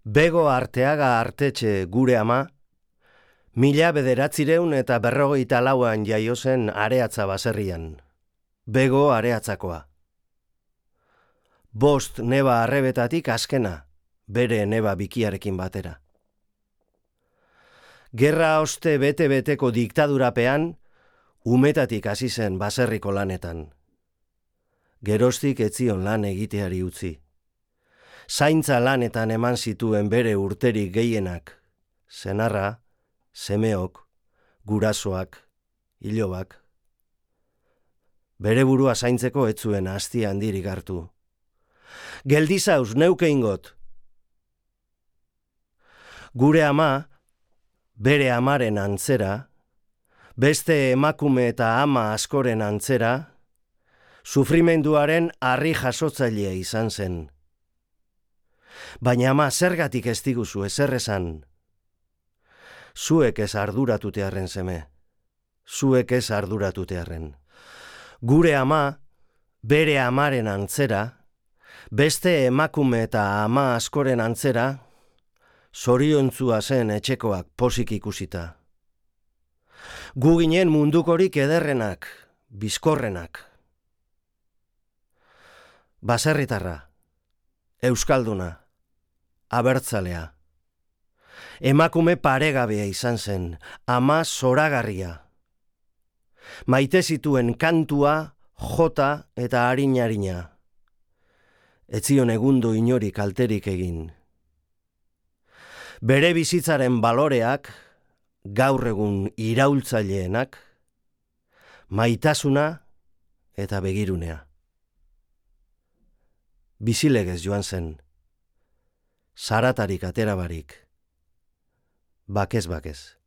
Bego Arteaga Artetxe gure ama, 1954an jaio zen Areatza baserrian. Bego Areatzakoa. 5 neba arrebetatik azkena, bere neba bikiarekin batera. Gerra oste bete-beteko diktadurapean, umetatik hasi zen baserriko lanetan. Geroztik etzion lan egiteari utzi. Zaintza lanetan eman zituen bere urterik gehienak, senarra, semeok, gurasoak, ilobak. Bere burua zaintzeko ez zuen asti handirik hartu. Geldizauz neuke ingot. Gure ama, bere amaren antzera, beste emakume eta ama askoren antzera, sufrimenduaren harri jasotzailea izan zen. Baina ama zergatik ez diguzu ezer esan. Zuek ez arduratutearren seme. Zuek ez arduratutearren. Gure ama, bere amaren antzera, beste emakume eta ama askoren antzera, zoriontzua zen etxekoak posik ikusita. Gu ginen mundukorik ederrenak, bizkorrenak. Baserritarra, euskalduna, abertzalea. Emakume paregabea izan zen, ama zoragarria. Maite zituen kantua, jota eta harina. Ez zion egundo inori kalterik egin. Bere bizitzaren baloreak, gaur egun iraultzaileenak, maitasuna eta begirunea. Bizilegez joan zen, zaratarik atera barik, bakez.